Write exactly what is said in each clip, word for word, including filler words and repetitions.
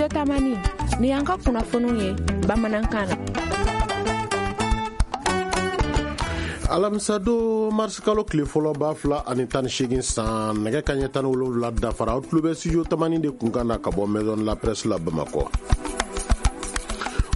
Studio Tamani, ni y'an ka kunnafoniw ye bamanankan na. Alamisado mars kalo tile fɔlɔ ba fila ani tan ni seegin san nɛgɛ kanɲɛ tan ni wolonwula dafara, aw tulo bɛ Studio Tamani de kunkan na ka bɔ Maison de la Presse la Bamakɔ.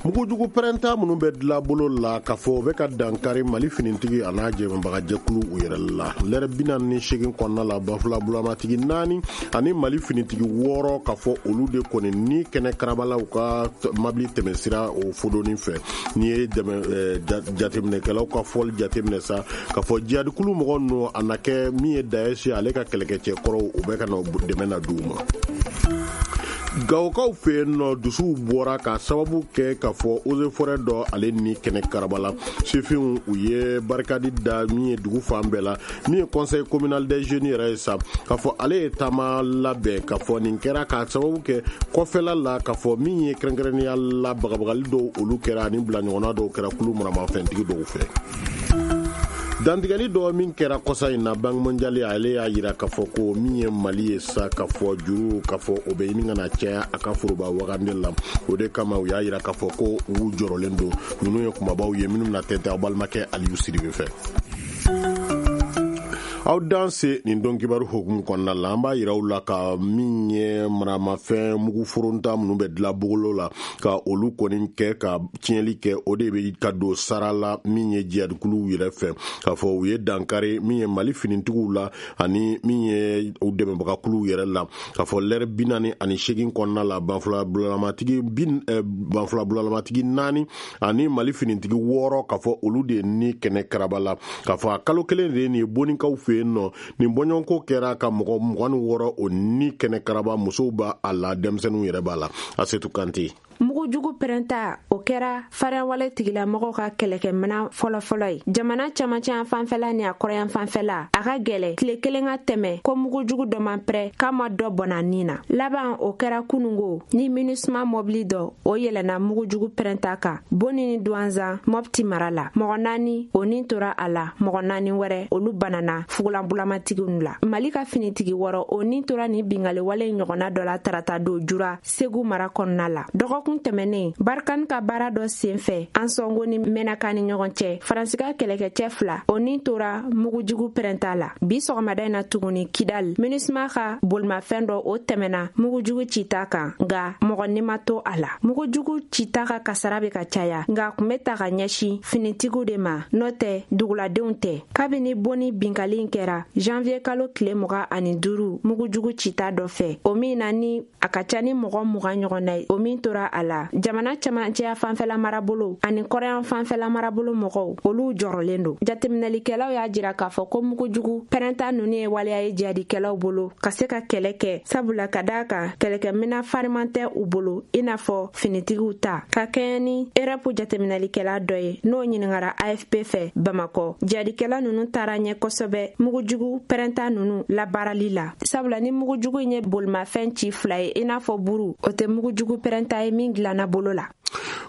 Mugujugu pɛrɛnta minnu bɛ dilan bolo la k'a fɔ u bɛ ka dankari Mali finitigi a n'a jɛmɛbagajɛkulu u yɛrɛ la. Lɛrɛ bi naani ni seegin kɔnɔna la, banfula bulamatigi naani ani Mali finitigi wɔɔrɔ k'a fɔ olu de kɔni ni kɛnɛ karabalaw ka mabili tɛmɛsira o fodoni fɛ. N'i ye jateminɛkɛlaw ka fɔli jateminɛ sa k'a fɔ jihadikulu mɔgɔ ninnu a na kɛ min ye Daesh ale ka kɛlɛkɛcɛ kɔrɔw u bɛ ka na dɛmɛ na d'u ma. Gawokaw fɛ yen nɔ, dusuw bɔra ka sababu kɛ k'a fɔ eaux et forêt dɔ ale ni kɛnɛ karabala sifinw u ye barikadi da min ye dugu fan bɛɛ la. Min ye conseil communal des jeunes yɛrɛ ye sa k'a fɔ ale ye taama labɛn k'a fɔ nin kɛra ka sababu kɛ kɔfɛla la k'a fɔ min ye kɛrɛnkɛrɛnnenya la bagabagali dɔw olu kɛra ani bila ɲɔgɔnna dɔw kɛra kulu maramafɛntigi dɔw fɛ. Dantigɛli dɔ min kɛra kɔsa in na, Banque mondiale ale y'a jira k'a fɔ ko min ye Mali ye sa k'a fɔ juru k'a fɔ o bɛ ɲini ka na caya a ka foroba wagande la. O de kama u y'a jira k'a fɔ ko u jɔrɔlen don. Ninnu ye kumabaw ye minnu bɛna tɛntɛn aw balimakɛ Aliyu Sidibe fɛ. Aw danse nin don kibaru hukumu kɔnɔna la, an b'a yira aw la ka min ye maramafɛn mugu foronta minnu bɛ dilan bogolo la ka olu kɔni kɛ ka tiɲɛli kɛ, o de bɛ ka don sara la min ye jihadikuluw yɛrɛ fɛ k'a fɔ u ye dankari min ye Mali finitigiw la ani min ye u dɛmɛbagakuluw yɛrɛ la k'a fɔ lɛrɛ bi naani ani seegin kɔnɔna la, banfula bulalamatigi banfula bulalamatigi naani ani Mali finitigi wɔɔrɔ k'a fɔ olu de ni kɛnɛ karaba la k'a fɔ a kalo kelen de ye nin ye bonikaw fɛ yen nɔ. Nin bɔɲɔgɔnko kɛra ka mɔgɔ mugan ni wɔɔrɔ o ni kɛnɛ karaba, musow b'a la, denmisɛnninw yɛrɛ b'a la. Asetu Kante. Mugujugu pɛrɛnta o kɛra farinyawale tigilamɔgɔw ka kɛlɛkɛminɛn fɔlɔfɔlɔ ye jamana camancɛ fanfɛla ni a kɔrɔyan fanfɛla. A ka gɛlɛ tile kelen ka tɛmɛ ko mugujugu dɔ man pɛrɛ k'a ma dɔ bɔnna nin na. Laban o kɛra kunungo ni MINUSMA mɔbili dɔ o yɛlɛnna mugujugu pɛrɛnta kan Boni ni Duwanzan Mɔpti mara la. Mɔgɔ naani o nin tora a la, mɔgɔ naani wɛrɛ olu banana fugulanbulamatigiw la. Mali ka finitigi wɔɔrɔ o nin tora nin bingaliwale ɲɔgɔnna dɔ la tarata don Jura Segu mara kɔnɔna la. Dɔgɔkun tɛmɛnen Barikani ka baara dɔ senfɛ Ansɔngo ni Mɛnaka ni ɲɔgɔn cɛ, Faransi ka kɛlɛkɛcɛ fila o nin tora mugujugu pɛrɛnta la. Bi sɔgɔmada in na tuguni Kidal, MINUSMA ka bolimafɛn dɔ o tɛmɛna mugujugu cita kan, nka mɔgɔ ni ma to a la. Mugujugu cita ka kasara bɛ ka caya, nka a kun bɛ ta ka ɲɛsin finitigiw de ma, n'o tɛ duguladenw tɛ. Kabini bonni binkali in kɛra janvier kalo tile mugan ani duuru mugujugu cita dɔ fɛ, o min na ni a ka ca ni mɔgɔ mugan ɲɔgɔn na ye, o min tora a la. Jamana camancɛya fanfɛla marabolo ani kɔrɔyan fanfɛla marabolo mɔgɔw olu jɔrɔlen don. Jateminɛlikɛlaw y'a jira k'a fɔ ko mugujugu pɛrɛnta ninnu ye waleya ye jihadikɛlaw bolo ka se ka kɛlɛ kɛ, sabula ka d'a kan kɛlɛkɛminɛn fariman tɛ u bolo i n'a fɔ finitigiw ta. Ka kɛɲɛ ni Erɛpu jateminɛlikɛla dɔ ye n'o ɲininkara A F P fɛ Bamakɔ, jihadikɛla ninnu taara ɲɛ kosɛbɛ mugujugu pɛrɛnta ninnu labaarali la, sabula ni mugujugu in ye bolimafɛn ci fila ye i n'a fɔ buru, o tɛ mugujugu pɛrɛnta ye min dilanna bolo la.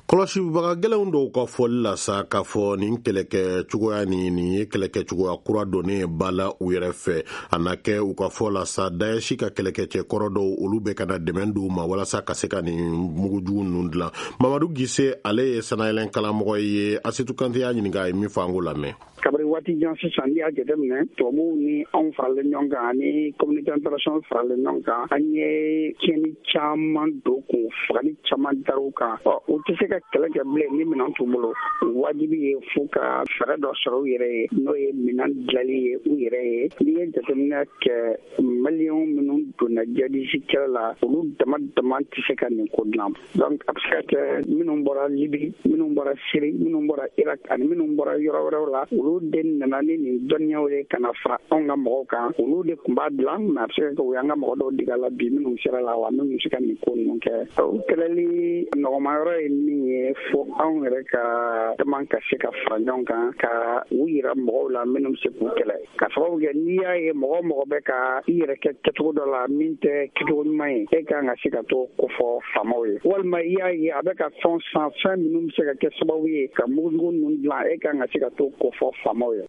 Kɔlɔsibaga gɛlɛnw dɔw ka fɔli la sa k'a fɔ nin kɛlɛkɛ cogoya ni nin ye kɛlɛkɛ cogoya kura donnen ba la u yɛrɛ fɛ. A na kɛ u ka fɔ la sa Daesh ka kɛlɛkɛcɛ kɔrɔ dɔw olu bɛ ka na dɛmɛ d'u ma walasa ka se ka nin mugujugu ninnu dilan. Mamadu Gise ale ye sanayɛlɛn kalamɔgɔ ye. Asetu Kante y'a ɲininka a ye min fɔ an k'o lamɛn. Kabini waati jan sisan n'i y'a jateminɛ, tubabuw ni anw faralen ɲɔgɔn kan ani communauté internationale faralen ɲɔgɔn kan, an ye tiɲɛni caman don k'u fagali caman dar'u kan. Ɔ u tɛ se ka kɛlɛ kɛ bilen ni minɛn t'u bolo. Wajibi ye f'u ka fɛɛrɛ dɔ sɔrɔ u yɛrɛ ye, n'o ye minɛn dilanli ye u yɛrɛ ye. N'i ye jateminɛ kɛ, maliyɛnw minnu donna jihadisi kɛlɛ la, olu dama dama tɛ se ka nin ko dilan. Donc a bɛ se ka kɛ minnu bɔra Libi, minnu bɔra Siri, minnu bɔra Irak ani minnu bɔra yɔrɔ wɛrɛw la, olu de nana ni nin dɔnniyaw ye ka na fara anw ka mɔgɔw kan. Olu de tun b'a dilan, mais a bɛ se ka kɛ u y'an ka mɔgɔ dɔw dege a la bi minnu sera la wa minnu bɛ se ka nin ko ninnu kɛ. O kɛlɛli nɔgɔma yɔrɔ ye min ye, fo anw yɛrɛ ka dama ka se ka fara ɲɔgɔn kan ka u yira mɔgɔw la minnu bɛ se k'u kɛlɛ. Ka sababu kɛ n'i y'a ye mɔgɔ mɔgɔ bɛ ka i yɛrɛ kɛ kɛcogo dɔ la min tɛ kɛcogo ɲuman ye, e ka kan ka se ka to kofɔ faamaw ye. Walima i y'a ye a bɛ ka fɛn san, fɛn minnu bɛ se ka kɛ sababu ye ka mugujugu ninnu dilan, e ka kan ka se ka to kofɔ faamaw ye.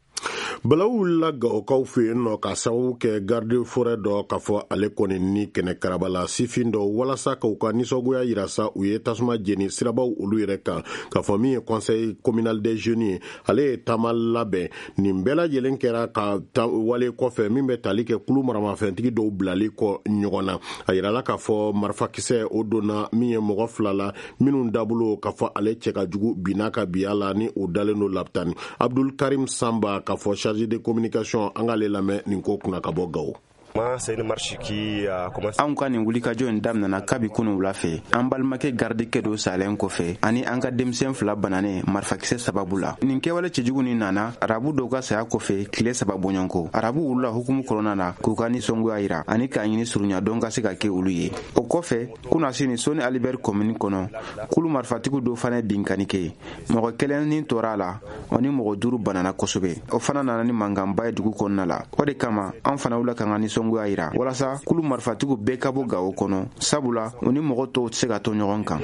Balawu wulila Gawokaw fɛ yen nɔ ka sababu kɛ garde forêt dɔ k'a fɔ ale kɔni ni kɛnɛ karaba la sifin dɔ walasa k'u ka nisɔngoya yira sa, u ye tasuma jeni sirabaw olu yɛrɛ kan. K'a fɔ min ye conseil communal des jeunes ye, ale ye taama labɛn. Nin bɛɛ lajɛlen kɛra ka wale kɔfɛ min bɛ tali kɛ kulu maramafɛntigi dɔw bilali kɔ ɲɔgɔn na. A yirala k'a fɔ marifakisɛ o donna min ye mɔgɔ fila la minnu dabolo k'a fɔ ale cɛ ka jugu binna ka biya la ni o dalen don lapitani. Abdul Karim Samba, k'a fɔ chargé de communication, an k'ale lamɛn nin ko kunna ka bɔ Gawo. Anw ka nin wulikajɔ in daminɛna kabi kunu wula fɛ, an balimakɛ gardikɛ dɔ salen kɔfɛ ani an ka denmisɛn fila bananen marifakisɛ sababu la. Nin kɛwale cɛjugu nin nana arabu dɔw ka saya kɔfɛ tile saba bɔɲɔgɔnko. Arabu wulila hukumu kɔnɔna na k'u ka nisɔngoya yira ani k'a ɲini surunya dɔn ka se ka kɛ olu ye. O kɔfɛ, kunasini, Soni Alibɛri komini kɔnɔ, kulu marifatigiw dɔw fana ye binkani kɛ. Mɔgɔ kelen ni tora a la, o ni mɔgɔ duuru banana kosɛbɛ. O fana nana ni mankanba ye dugu kɔnɔna la. O de kama an fana wulila k'an ka nisɔngoya yira walasa kulu marifatigiw bɛɛ ka bɔ Gawo kɔnɔ, sabula u ni mɔgɔ tɔw tɛ se ka to ɲɔgɔn kan.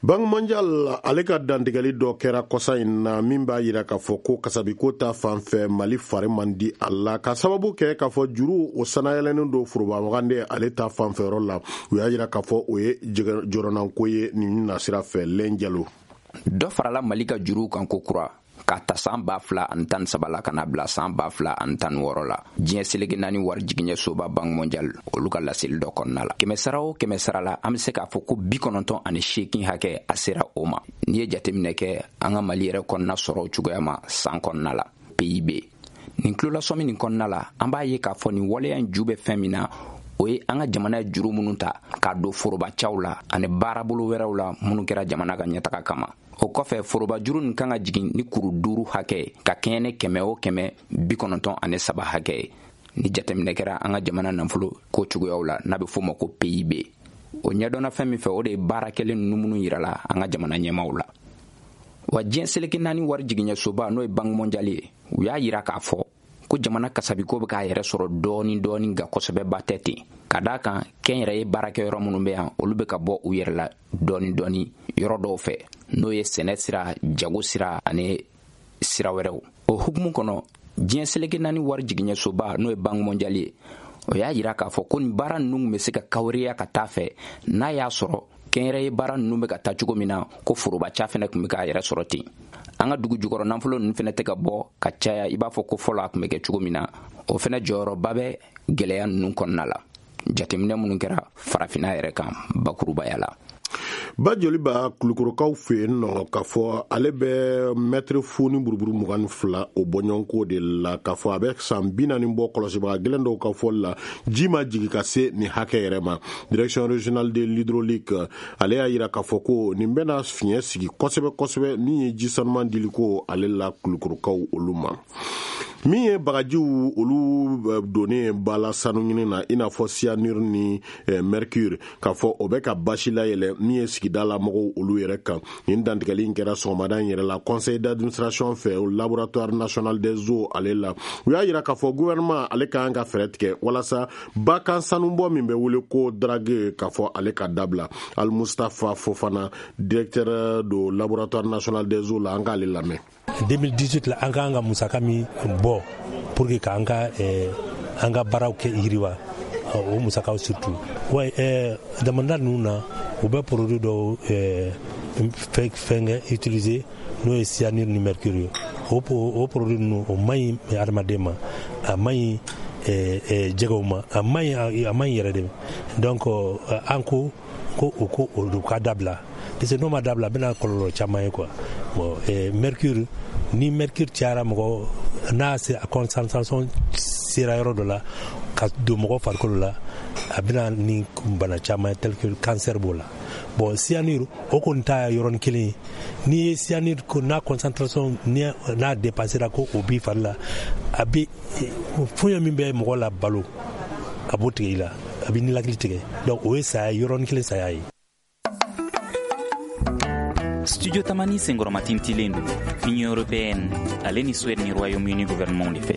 Banque mondiale ale ka dantigɛli dɔ kɛra kɔsa in na min b'a yira k'a fɔ ko kasabiko ta fan fɛ, Mali fari man di a la, ka sababu kɛ k'a fɔ juru o sanayɛlɛnnen don foroba wagande ale ta fanfɛyɔrɔ la. U y'a yira k'a fɔ o ye jɔrɔnanko ye nin nasira fɛ. Lɛn Jalo. Dɔ farala Mali ka juruw kan ko kura k'a ta san ba fila ani tan saba la ka na bila san ba fila ani tan wɔɔrɔ la, diɲɛ seleke naani wari jigiɲɛ soba Banque mondiale olu ka laseli dɔ kɔnɔna la. Kɛmɛ sara o kɛmɛ sara la, an be se k'a fɔ ko bi kɔnɔntɔn ani seekin hakɛ a sera o ma. N'i ye jateminɛ kɛ an ka Mali yɛrɛ kɔnɔna sɔrɔ cogoya ma san kɔnɔna la, P I B, nin tulolasɔmi nin kɔnɔna la, an b'a ye k'a fɔ nin waleya in ju bɛ fɛn min na, o ye an ka jamana ye juru minnu ta k'a don forobacaw la ani baarabolo wɛrɛw la minnu kɛra jamana ka ɲɛtaga kama. O kɔfɛ, foroba juru nin kan ka jigin ni kuru duuru hakɛ ka kɛɲɛ ni kɛmɛ o kɛmɛ bi kɔnɔntɔn ani saba hakɛ ye. Ni jateminɛ kɛra an ka jamana nafolo ko cogoyaw la n'a bɛ f'o ma ko P I B, o ɲɛdɔnna fɛn min fɛ, o de ye baara kɛlen ninnu minnu yirala an ka jamana ɲɛmaw la. Wa diɲɛ seleke naani wari jigiɲɛsoba, n'o ye Banque mondiale ye, u y'a yira k'a fɔ ko jamana kasabiko bɛ k'a yɛrɛ sɔrɔ dɔɔni dɔɔni, nka kosɛbɛba tɛ ten, ka d'a kan kɛnyɛrɛye baarakɛyɔrɔ minnu bɛ yan, olu bɛ ka bɔ u yɛrɛ la dɔɔni dɔɔni yɔrɔ dɔw fɛ, n'o ye sɛnɛ sira, jago sira ani sira wɛrɛw. O hukumu kɔnɔ, diɲɛ seleke naani wari jigiɲɛsoba, n'o ye Banque mondiale ye, o y'a yira k'a fɔ ko nin baara ninnu bɛ se ka kawariya ka taa fɛ n'a y'a sɔrɔ kɛnyɛrɛye baara ninnu bɛ ka taa cogo min na, ko forobaca fɛnɛ tun bɛ k'a yɛrɛ sɔrɔ ten. An ka dugu jukɔrɔ nafolo ninnu fɛnɛ tɛ ka bɔ ka caya i b'a fɔ ko fɔlɔ a tun bɛ kɛ cogo min na. O fɛnɛ jɔyɔrɔba bɛ gwɛlɛya ninnu kɔnɔna la, jateminɛ minnu kɛra Farafinna yɛrɛ kan bakurubaya la. Ba joli b'a Kulukorokaw fɛ yen nɔ k'a fɔ ale bɛ mɛtiri fu ni buruburu mugan ni fila o bɔɲɔgɔnko de la, k'a fɔ a bɛ san bi naani bɔ. Kɔlɔsibaga gɛlɛn dɔw ka fɔli la, ji ma jigin ka se nin hakɛ yɛrɛ ma. Direction régionale de l'hydraulique ale y'a yira k'a fɔ ko nin bɛna fiɲɛ sigi kosɛbɛ kosɛbɛ min ye ji sanuman diliko ale la Kulukorokaw olu ma. Min ye bagajiw olu donnen bala sanu ɲini na, i n'a fɔ cyanure ni mercure, k'a fɔ o bɛ ka basi layɛlɛ min ye sigida la mɔgɔw olu yɛrɛ kan. Nin dantigɛli in kɛra sɔgɔmada in yɛrɛ la conseil d'administration fɛ Laboratoire national des eaux ale la. U y'a yira k'a fɔ gouvernement ale ka kan ka fɛɛrɛ tigɛ walasa bakan sanubɔ min bɛ wele ko drague, k'a fɔ ale ka dabila. Al Mustafa Fofana, directeur do Laboratoire national des eaux la, an k'ale lamɛn. deux mille dix-huit la, an k'an ka musaka min bɔ pour que k'an ka eh, an ka baaraw kɛ yiriwa, o musakaw surtout wa eh, damanda ninnu na, u bɛ produit dɔw eh, fɛnkɛ utiliser, n'o ye cyanure ni mercure ye. o, o produit ninnu, o man ɲi adamaden ma, a man ɲi eh, eh, jɛgɛw ma, a man ɲi, a man ɲi yɛrɛ de. Donc an ko ko o ko o ka dabila, parce que n'o ma dabila, a bɛna kɔlɔlɔ caman ye quoi. Bon, eh, mercure, ni mercure cayara mɔgɔ n'a se a concentration sera yɔrɔ dɔ la ka don mɔgɔ farikolo la, a bɛna ni bana caman ye, tel que cancer b'o la. Bon, cyanure, o kɔni ta yɔrɔnin kelen ye. N'i ye cyanure ko n'a concentration n'a dépassera ko o b'i fari la, a bɛ foɲɛ min bɛ mɔgɔ la balo, a b'o tigɛ i la, a bɛ nilakili tigɛ. Donc o ye saya, yɔrɔnin kelen saya ye. Studio Tamani senkɔrɔmatintilen don Union européenne ale ni Suède ni Royaume-Uni gouvernement de fɛ.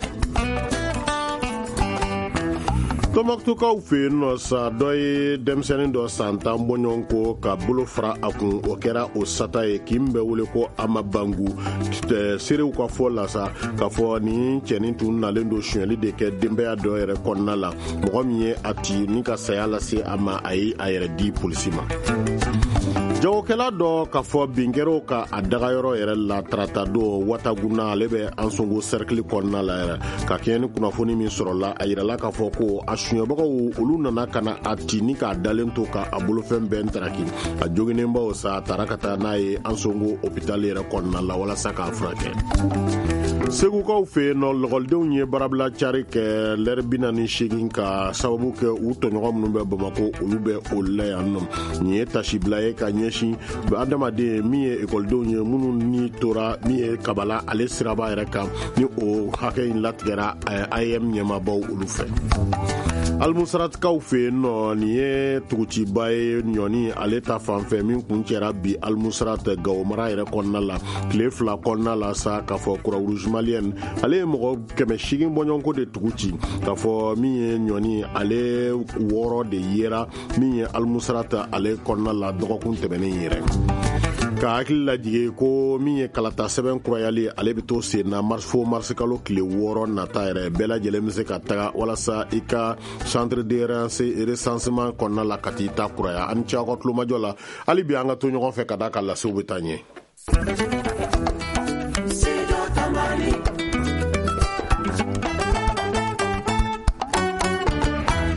Tɔnbɔkutukaw fɛ yen nɔ sa, dɔ ye denmisɛnnin dɔ san tan bɔɲɔgɔn ko ka bolo fara a kun, o kɛra o sata ye k'i bɛ wele ko Amabangu. Seerew ka fɔ la sa k'a fɔ nin cɛnin tun nalen don sonyɛli de kɛ denbaya dɔ yɛrɛ kɔnɔna la. Mɔgɔ min ye a ci ni ka saya lase a ma, a ye a yɛrɛ di polisi ma. Jagokɛla dɔ k'a fɔ bin kɛra ka a dagayɔrɔ yɛrɛ la tarata don Wataguna, ale bɛ Ansongo cercle kɔnɔna la yɛrɛ. Ka kɛɲɛ ni kunnafoni min sɔrɔla, a yirala k'a fɔ ko a suɲɛbagaw olu nana ka na a ci ni k'a dalen to ka a bolofɛn bɛɛ ntaraki. A joginenbaw sa, a taara ka taa n'a ye Ansongo hôpital yɛrɛ kɔnɔna la walasa k'a furakɛ. Segukaw fɛ yen nɔ, lɔgɔlidenw ye baarabila cari kɛ lɛri bi naani seegin ka sababu kɛ u tɔɲɔgɔn minnu bɛ Bamakɔ, olu bɛ o la yan nɔ. Nin ye tasibila ye ka ɲɛsin adamaden min ye ekɔlidenw ye minnu ni tora min ye kabala ale siraba yɛrɛ kan, ni o hakɛ in latigɛra A E M ɲɛmaabaw olu fɛ. Almusratikaw fɛ yen nɔ, nin ye tuguciba ye ɲɔni ale ta fanfɛ min kun cɛra bi Almusrat Gawo mara yɛrɛ kɔnɔna la tile fila kɔnɔna la sa, k'a fɔ Croix-Rouge malienne ale ye mɔgɔ kɛmɛ seegin bɔɲɔgɔnko de tugu ci, k'a fɔ min ye ɲɔni ale wɔɔrɔ de yera min ye Almusrat ale kɔnɔna la dɔgɔkun tɛmɛnen yɛrɛ. Ka hakili lajigin ko min ye kalata sɛbɛn kurayali, ale bɛ to sen na fo marisikalo tile wɔɔrɔ nata yɛrɛ. Bɛɛ lajɛlen bɛ se ka taga walasa i ka centre de recensement kɔnɔna la ka t'i ta kuraya. An ni ce aw ka tulomajɔ la, hali bi an ka to ɲɔgɔn fɛ ka d'a kan lasew bɛ taa ɲɛ.